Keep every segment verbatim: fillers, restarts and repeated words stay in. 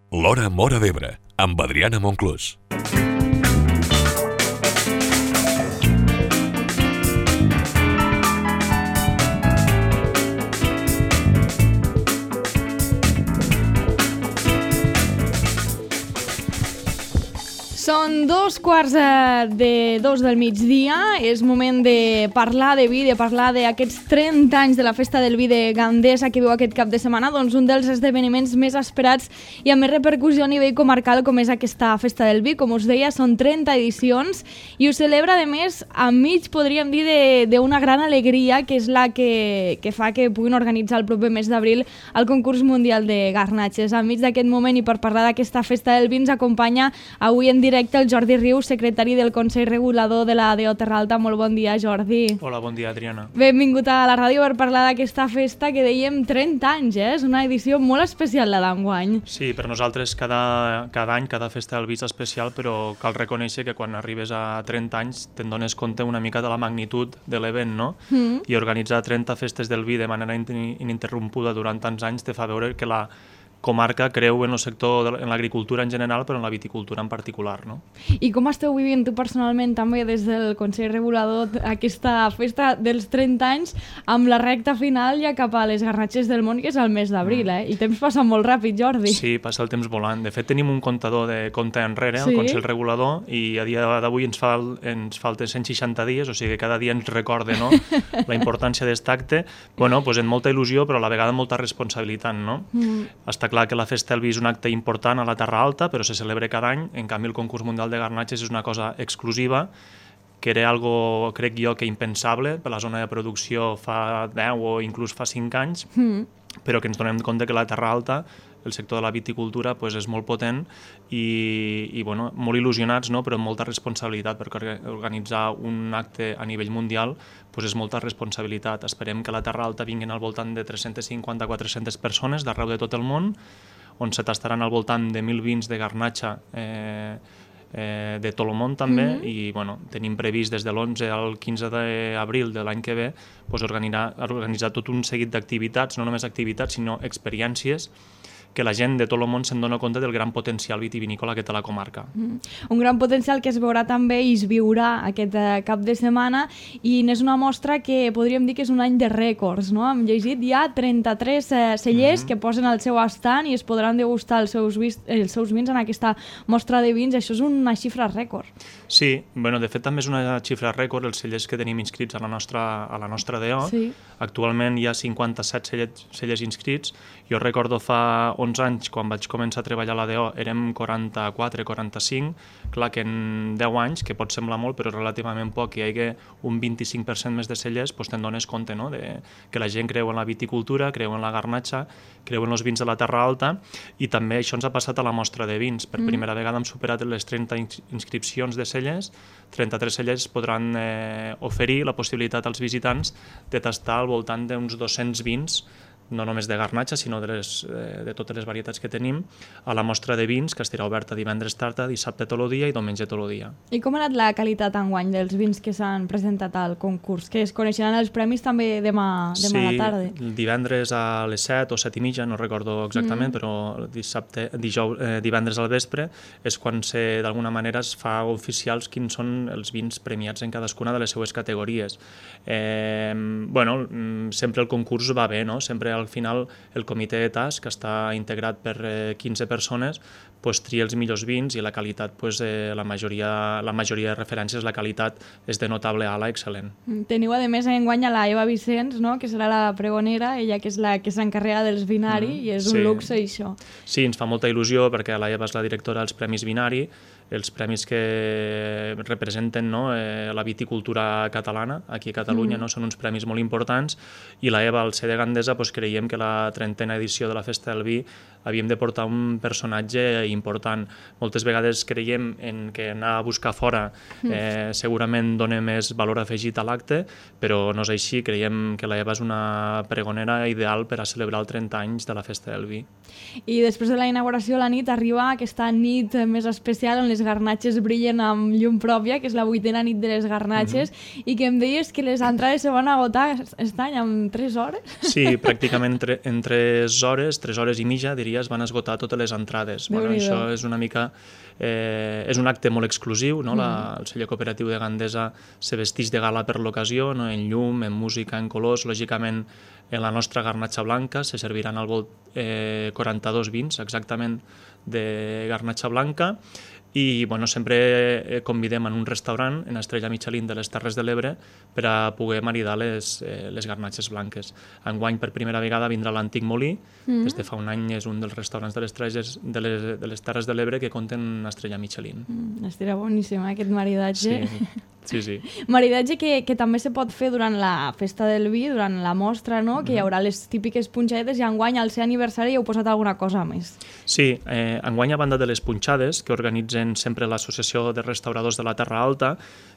L'Hora Móra d'Ebre, amb Adriana Monclús. Són dos quarts de dos del migdia, és moment de parlar de vi, de parlar d'aquests trenta anys de la Festa del Vi de Gandesa que viu aquest cap de setmana, doncs un dels esdeveniments més esperats i amb més repercussió a nivell comarcal com és aquesta Festa del Vi. Com us deia, són trenta edicions i ho celebra, a més, enmig, podríem dir, d'una gran alegria, que és la que, que fa que puguin organitzar el proper mes d'abril el concurs mundial de garnatges. Enmig d'aquest moment i per parlar d'aquesta Festa del Vi ens acompanya avui en directe el Jordi Rius, secretari del Consell Regulador de la D O Terra Alta. Molt bon dia, Jordi. Hola, bon dia, Adriana. Benvingut a la ràdio per parlar d'aquesta festa que dèiem trenta anys, eh? És una edició molt especial la d'enguany. Sí, per nosaltres cada, cada any, cada Festa del Vi és especial, però cal reconèixer que quan arribes a trenta anys te'n dones compte una mica de la magnitud de l'event, no? Mm. I organitzar trenta festes del vi de manera ininterrompuda durant tants anys te fa veure que la comarca creu en el sector, en l'agricultura en general, però en la viticultura en particular, no? I com esteu vivint tu personalment també des del Consell Regulador aquesta festa dels trenta anys amb la recta final ja cap a les garnatges del món, que és el mes d'abril, eh? I el temps passa molt ràpid, Jordi. Sí, passa el temps volant. De fet, tenim un comptador de compte enrere, sí? al Consell Regulador, i a dia d'avui ens, fal, ens falten cent seixanta dies, o sigui que cada dia ens recorde, no?, la importància d'aquest acte. Bueno, doncs amb molta il·lusió, però a la vegada amb molta responsabilitat, no? Mm. Està clar que la Festa del Vi és un acte important a la Terra Alta, però se celebra cada any. En canvi, el concurs mundial de garnatges és una cosa exclusiva, que era algo, crec jo, que impensable per la zona de producció fa deu o inclús fa cinc anys, mm. però que ens donem compte que la Terra Alta, el sector de la viticultura, pues, és molt potent i, i bueno, molt il·lusionats, no?, però amb molta responsabilitat, perquè organitzar un acte a nivell mundial pues, és molta responsabilitat. Esperem que a la Terra Alta vinguin al voltant de tres-centes cinquanta a quatre-centes persones d'arreu de tot el món, on se tastaran al voltant de mil vins de garnatxa eh, eh, de tot el món també, mm-hmm. i bueno, tenim previst des de l'onze al quinze d'abril de l'any que ve pues, organitzar, organitzar tot un seguit d'activitats, no només activitats, sinó experiències, que la gent de tot el món se'n dona compte del gran potencial vitivinícola que té la comarca. Mm. Un gran potencial que es veurà també i es viurà aquest eh, cap de setmana, i n'és una mostra que podríem dir que és un any de rècords, no? Hem llegit ja trenta-tres eh, cellers mm-hmm. que posen al seu estand i es podran degustar els seus, vis, els seus vins en aquesta mostra de vins. Això és una xifra rècord. Sí, bueno, de fet també és una xifra rècord els cellers que tenim inscrits a la nostra, a la nostra D O. Sí. Actualment hi ha cinquanta-set cellers, cellers inscrits. Jo recordo fa onze anys, quan vaig començar a treballar a la D O, érem quaranta-quatre quaranta-cinc. Clar que en deu anys, que pot semblar molt, però relativament poc, hi hagi un vint-i-cinc per cent més de cellers, doncs te'n dones compte, no?, de que la gent creu en la viticultura, creu en la garnatxa, creu en els vins de la Terra Alta, i també això ens ha passat a la mostra de vins. Per mm. primera vegada hem superat les trenta inscripcions de cellers, trenta-tres cellers podran eh, oferir la possibilitat als visitants de tastar al voltant d'uns dos-cents vins, no només de garnatxa, sinó de, les, de totes les varietats que tenim, a la mostra de vins, que estarà oberta divendres tarda, dissabte tot el dia i diumenge tot el dia. I com ha anat la qualitat enguany dels vins que s'han presentat al concurs? Que es coneixeran els premis també demà, demà sí, a la tarda? Sí, divendres a les set o set i mitja, no recordo exactament, mm. però dissabte, dijous, eh, divendres al vespre és quan se, d'alguna manera es fa oficials quins són els vins premiats en cadascuna de les seues categories. Eh, bueno, sempre el concurs va bé, no? Sempre al final el comitè de tas, que està integrat per eh, quinze persones, pues, tria els millors vins i la qualitat, pues, eh, la, majoria, la majoria de referències, la qualitat és de notable a la excel·lent. Teniu a més enguany a la Eva Vicenç, no?, que serà la pregonera, ella que és la que s'encarrega dels Vinari, mm, i és un sí. luxe això. Sí, ens fa molta il·lusió perquè la Eva és la directora dels Premis Vinari, els premis que representen, no, eh, la viticultura catalana aquí a Catalunya, mm. no? Són uns premis molt importants, i la Eva, al ser de Gandesa, pues, creiem que la trentena edició de la Festa del Vi havíem de portar un personatge important. Moltes vegades creiem en que anar a buscar fora eh, segurament dona més valor afegit a l'acte, però no és així. Creiem que la Eva és una pregonera ideal per a celebrar els trenta anys de la Festa del Vi. I després de la inauguració, la nit, arriba aquesta nit més especial on les garnatges brillen amb llum pròpia, que és la vuitena nit de les garnatges, mm-hmm. i que em deies que les entrades se van agotar aquest any en tres hores. Sí, pràcticament en tres hores, tres hores i mitja, diria dies van esgotar totes les entrades. Bueno, Déu-n'hi-do. això és una mica... Eh, és un acte molt exclusiu, no? La, el celler cooperatiu de Gandesa se vesteix de gala per l'ocasió, no? En llum, en música, en colors. Lògicament, en la nostra garnatxa blanca se serviran al volt eh, quaranta-dos vins exactament de garnatxa blanca, i bueno, sempre convidem en un restaurant en Estrella Michelin de les Terres de l'Ebre per a poder maridar les, eh, les garnatxes blanques. Enguany, per primera vegada, vindrà l'Antic Molí. Mm. Des de fa un any és un dels restaurants de les, Terres, de les, de les Terres de l'Ebre que compten Estrella Michelin. Mm, estarà boníssim, eh, aquest maridatge. Sí, sí, sí. Maridatge que, que també se pot fer durant la festa del vi, durant la mostra, no? Que hi haurà les típiques punxadetes, i enguany, al seu aniversari, hi heu posat alguna cosa més. Sí, eh, enguany, a banda de les punxades, que organitzen sempre l'Associació de Restauradors de la Terra Alta,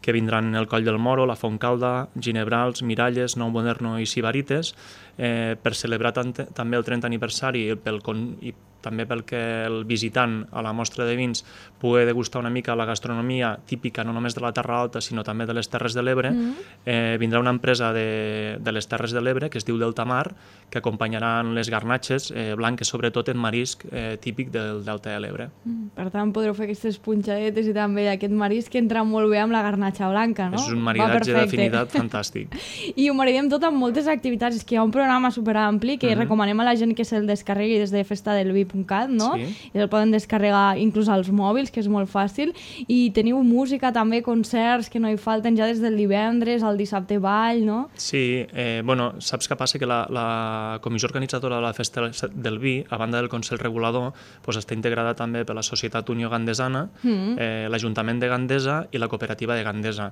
que vindran el Coll del Moro, la Fontcalda, Ginebrals, Miralles, Nou Moderno i Sibarites, eh, per celebrar també el trentè aniversari pel, i també pel que el visitant a la mostra de vins pugui degustar una mica la gastronomia típica no només de la Terra Alta, sinó també de les Terres de l'Ebre. Mm. Eh, vindrà una empresa de, de les Terres de l'Ebre que es diu Delta Mar, que acompanyaran les garnatxes eh, blanques, sobretot en marisc eh, típic del Delta de l'Ebre. Mm. Per tant, podreu fer aquestes punxadetes i també aquest marisc que entra molt bé amb la garnatxa blanca, no? És un maridatge d'afinitat fantàstic. I ho maridem tot amb moltes activitats. És que hi ha un programa superampli que mm-hmm. recomanem a la gent que se'l descarregui des de festa del vi punt cat, no? Sí. I el poden descarregar inclús als mòbils, que és molt fàcil. I teniu música també, concerts que no hi falten ja des del divendres al dissabte ball, no? Sí, eh, bueno, saps què passa? Que la, la comissió organitzadora de la festa del vi, a banda del Consell Regulador, pues, està integrada també per la Societat Unió Gandesana, mm-hmm. eh, l'Ajuntament de Gandesa i la Cooperativa de Gandesa.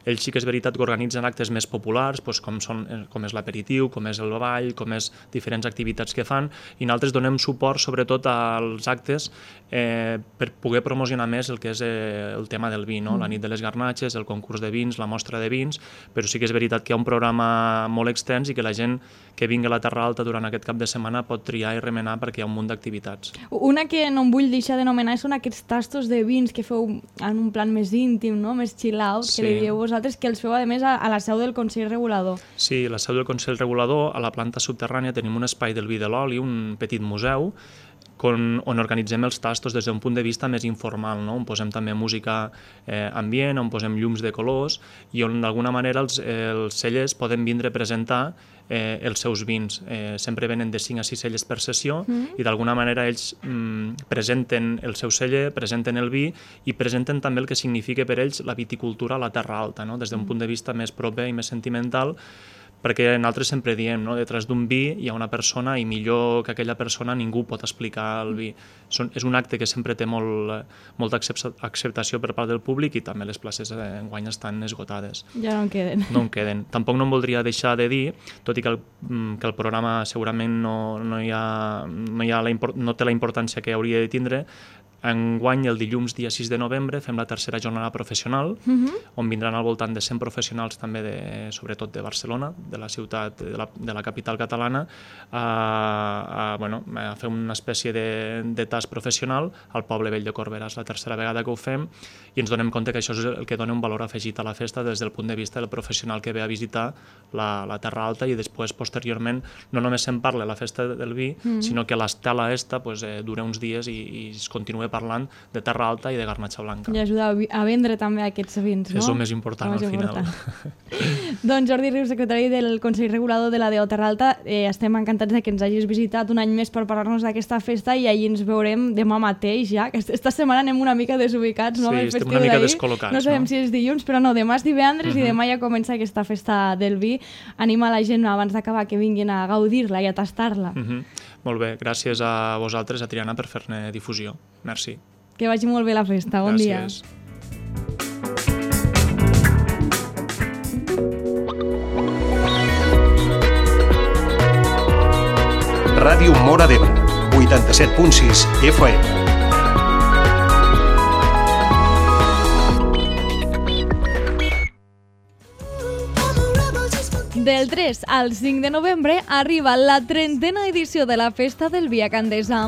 Ells sí que és veritat que organitzen actes més populars, doncs, com, són, com és l'aperitiu, com és el ball, com és diferents activitats que fan, i nosaltres donem suport sobretot als actes eh, per poder promocionar més el que és eh, el tema del vi, no? La nit de les garnatxes, el concurs de vins, la mostra de vins, però sí que és veritat que hi ha un programa molt extens i que la gent que vingui a la Terra Alta durant aquest cap de setmana pot triar i remenar perquè hi ha un munt d'activitats. Una que no em vull deixar de nomenar són aquests tastos de vins que feu en un plan més íntim, no? Més chill out, sí. Que li dieu vosaltres, que els feu a més a, a la seu del Consell Regulador. Sí, a la seu del Consell Regulador, a la planta subterrània, tenim un espai del vi de l'oli, un petit museu, on, on organitzem els tastos des d'un punt de vista més informal, no? On posem també música eh, ambient, on posem llums de colors i on d'alguna manera els, els cellers poden vindre a presentar eh, els seus vins. Eh, sempre venen de cinc a sis cellers per sessió mm. i d'alguna manera ells mm, presenten el seu celler, presenten el vi i presenten també el que significa per ells la viticultura a la Terra Alta, no? Des d'un mm. punt de vista més proper i més sentimental, perquè nosaltres sempre diem, no? Detrás d'un vi hi ha una persona i millor que aquella persona ningú pot explicar el vi. Són, és un acte que sempre té molt, molta acceptació per part del públic i també les places enguany estan esgotades. Ja no en queden. No en queden. Tampoc no em voldria deixar de dir, tot i que el, que el programa segurament no, no, hi ha, no, hi ha la, no té la importància que hauria de tindre, enguany, el dilluns dia sis de novembre, fem la tercera jornada professional, uh-huh. on vindran al voltant de cent professionals també, de, sobretot de Barcelona, de la ciutat, de la, de la capital catalana, a, a, bueno, a fer una espècie de, de tast professional al poble vell de Corbera. És la tercera vegada que ho fem i ens donem compte que això és el que dona un valor afegit a la festa des del punt de vista del professional que ve a visitar la, la Terra Alta i després, posteriorment, no només se'n parla a la festa del vi, uh-huh. sinó que l'estela esta pues, eh, dura uns dies i, i es continua parlant de Terra Alta i de garnatxa blanca. I ajuda a vendre també aquests vins, no? És el més important, al final. Doncs Jordi Rius, secretari del Consell Regulador de la D O Terra Alta, eh, estem encantats de que ens hagis visitat un any més per parlar-nos d'aquesta festa i ahir ens veurem demà mateix ja, que esta setmana anem una mica desubicats, no? Sí, estem una mica descol·locats. No sabem no? si és dilluns, però no, demà és divendres uh-huh. i demà ja comença aquesta festa del vi. Anima la gent abans d'acabar que vinguin a gaudir-la i a tastar-la. Uh-huh. Molt bé, gràcies a vosaltres, a Triana, per fer-ne difusió. Merci. Que vagi molt bé la festa. Bon dia. Gràcies. Ràdio Móra d'Ebre, vuitanta-set punt sis F M. Del tres al cinc de novembre arriba la trentena edició de la Festa del Vi a Gandesa,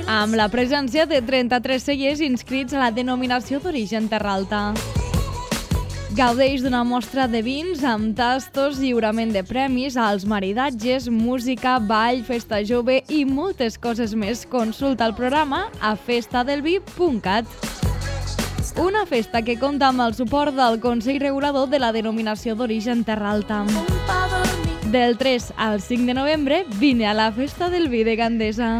amb la presència de trenta-tres cellers inscrits a la denominació d'origen Terra Alta. Gaudeix d'una mostra de vins amb tastos, lliurament de premis, als maridatges, música, ball, festa jove i moltes coses més. Consulta el programa a festadelvi punt cat. Una festa que compta amb el suport del Consell Regulador de la Denominació d'Origen Terra Alta. Del tres al cinc de novembre, vine a la Festa del Vi de Gandesa.